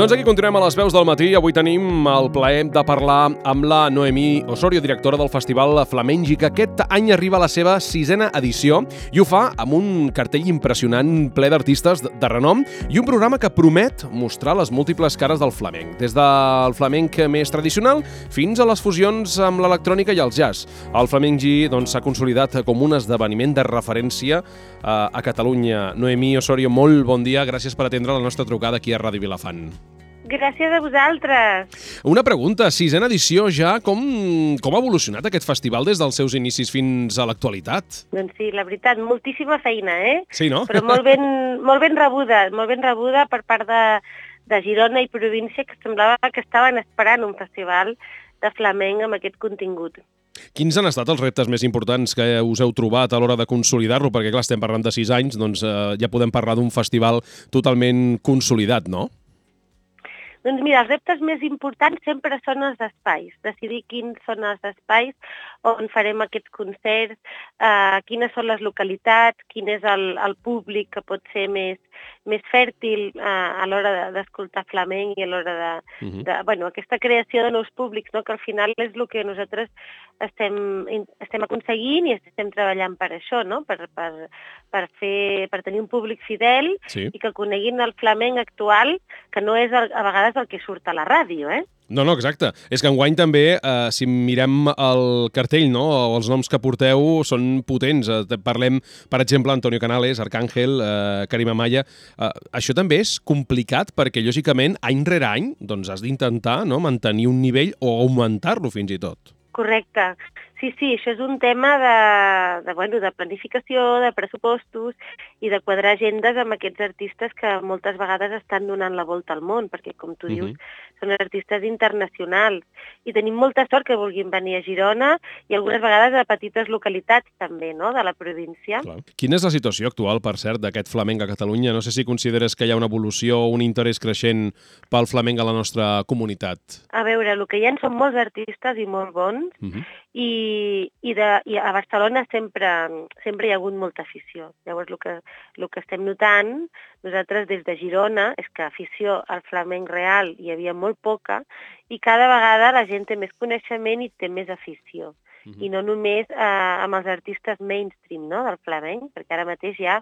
Doncs aquí continuem a les veus del matí. Avui tenim el plaer de parlar amb la Noemí Osorio, directora del Festival Flamengi, que aquest any arriba a la seva 6ª edició i ho fa amb un cartell impressionant ple d'artistes de renom i un programa que promet mostrar les múltiples cares del flamenc, des del flamenc més tradicional fins a les fusions amb l'electrònica i el jazz. El Flamengi s'ha consolidat com un esdeveniment de referència a Catalunya. Noemí Osorio, molt bon dia, gràcies per atendre la nostra trucada aquí a Ràdio Vilafant. Gràcies a vosaltres. Una pregunta, 6ª edició ja, com ha evolucionat aquest festival des dels seus inicis fins a l'actualitat? Doncs sí, la veritat, moltíssima feina, Sí, no? Però molt ben rebuda per part de Girona i província, que semblava que estaven esperant un festival de flamenc amb aquest contingut. Quins han estat els reptes més importants que us heu trobat a l'hora de consolidar-lo? Perquè, clar, estem parlant de 6 anys, doncs ja podem parlar d'un festival totalment consolidat, no? Doncs mira, els reptes més importants sempre són els espais, decidir quins són els espais on farem aquests concerts, quines són les localitats, quin és el públic que pot ser més fèrtil a l'hora d'escoltar flamenc i a l'hora aquesta creació de nous públics, no? Que al final és el que nosaltres estem aconseguint i estem treballant per això, no? Per tenir un públic fidel, sí, i que coneguin el flamenc actual, que no és a vegades el que surt a la ràdio, No, exacte. És que enguany també, si mirem el cartell, no, o els noms que porteu són potents. Parlem, per exemple, Antonio Canales, Arcángel, Karim Amaya. Això també és complicat perquè, lògicament, any rere any, doncs has d'intentar, no, mantenir un nivell o augmentar-lo fins i tot. Correcte. Sí, això és un tema de planificació, de pressupostos i de quadrar agendes amb aquests artistes que moltes vegades estan donant la volta al món, perquè, com tu dius, són artistes internacionals. I tenim molta sort que vulguin venir a Girona i algunes vegades a petites localitats també, no?, de la província. Clar. Quina és la situació actual, per cert, d'aquest flamenc a Catalunya? No sé si consideres que hi ha una evolució, un interès creixent pel flamenc a la nostra comunitat. A veure, el que hi ha són molts artistes i molt bons, i a Barcelona sempre hi ha hagut molta afició. Llavors, el que estem notant nosaltres des de Girona és que afició al flamenc real hi havia molt poca i cada vegada la gent té més coneixement i té més afició. I no només amb els artistes mainstream, no?, del flamenc, perquè ara mateix hi ha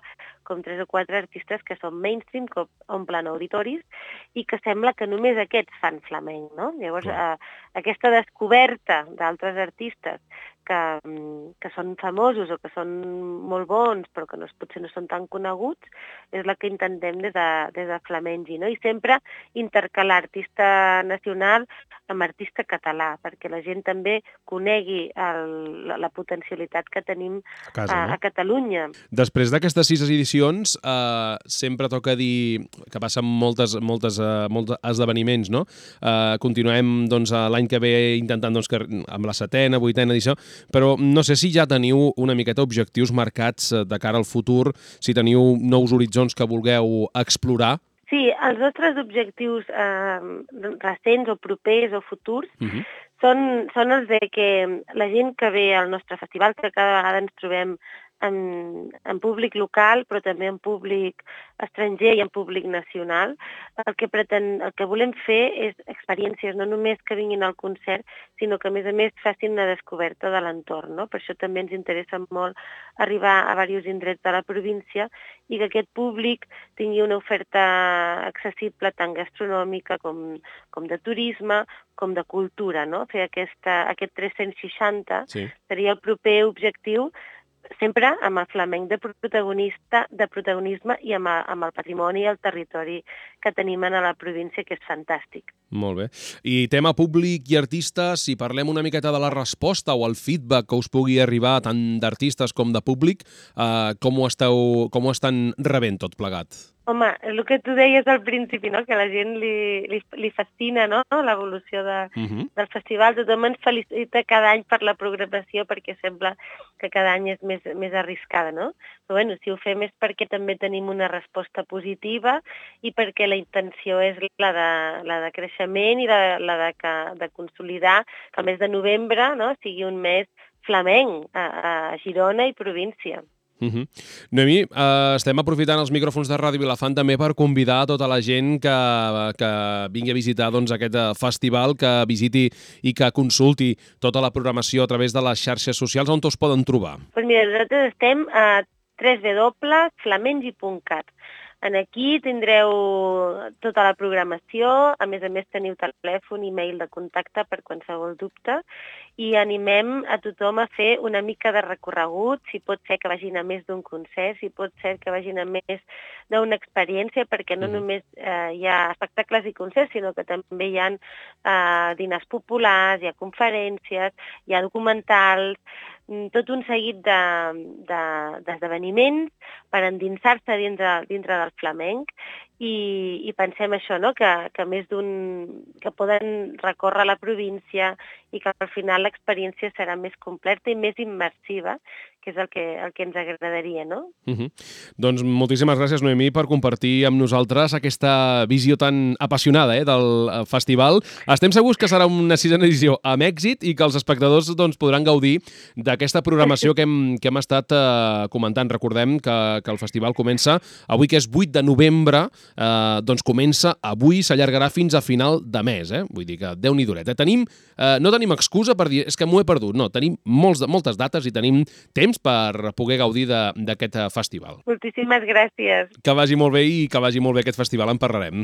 com 3 o 4 artistes que són mainstream, que omplen auditoris, i que sembla que només aquests fan flamenc, no? Llavors, aquesta descoberta d'altres artistes que són famosos o que són molt bons, però que potser no són tan coneguts, és la que intentem des de Flamengi, no? I sempre intercalar artista nacional amb artista català, perquè la gent també conegui la potencialitat que tenim a Catalunya. Després d'aquestes 6 edicions, sempre toca dir que passen molts esdeveniments, no? Continuem l'any que ve intentant amb la 7ª, 8ª edició, però no sé si ja teniu una miqueta objectius marcats de cara al futur, si teniu nous horitzons que vulgueu explorar. Sí, els nostres objectius recents o propers o futurs són els de que la gent que ve al nostre festival, que cada vegada ens trobem en públic local, però també en públic estranger i en públic nacional, el que volem fer és experiències, no només que vinguin al concert, sinó que a més facin una descoberta de l'entorn, no? Per això també ens interessa molt arribar a diversos indrets de la província i que aquest públic tingui una oferta accessible tant gastronòmica com de turisme, com de cultura, no? Fer aquest 360 seria el proper objectiu, sempre amb el flamenc de protagonisme i amb el patrimoni i el territori que tenim a la província, que és fantàstic. Molt bé. I tema públic i artistes, si parlem una miqueta de la resposta o el feedback que us pugui arribar tant d'artistes com de públic, com ho estan rebent tot plegat? Home, el que tu deies al principi, no?, que a la gent li fascina, no?, l'evolució del festival. Tothom ens felicita cada any per la programació perquè sembla que cada any és més arriscada, no? Però bueno, si ho fem és perquè també tenim una resposta positiva i perquè la intenció és la de creixement i la de consolidar que el mes de novembre, no?, sigui un mes flamenc a Girona i província. Noemí, estem aprofitant els micròfons de Ràdio Vilafant també per convidar tota la gent que vingui a visitar aquest festival, que visiti i que consulti tota la programació a través de les xarxes socials. On us poden trobar? Doncs mira, nosaltres estem a www.flamengi.cat. Aquí tindreu tota la programació, a més teniu telèfon i mail de contacte per qualsevol dubte, i animem a tothom a fer una mica de recorregut, si pot ser que vagin a més d'un concert, si pot ser que vagin a més d'una experiència, perquè no només hi ha espectacles i concerts, sinó que també hi ha dinars populars, hi ha conferències, hi ha documentals, tot un seguit d'esdeveniments per endinsar-se dintre del flamenc, i pensem això, no? que més que poden recórrer la província i que al final l'experiència serà més completa i més immersiva, que és el que ens agradaria, no? Doncs moltíssimes gràcies, Noemí, per compartir amb nosaltres aquesta visió tan apassionada del festival. Estem segurs que serà una 6a edició amb èxit i que els espectadors podran gaudir d'aquesta programació que hem estat comentant. Recordem que el festival comença avui, que és 8 de novembre, comença avui, s'allargarà fins a final de mes. Vull dir que Déu-n'hi-do. No tenim excusa per dir és que m'ho he perdut. No, tenim moltes dates i tenim temps per poder gaudir d'aquest festival. Moltíssimes gràcies. Que vagi molt bé i que vagi molt bé aquest festival. En parlarem.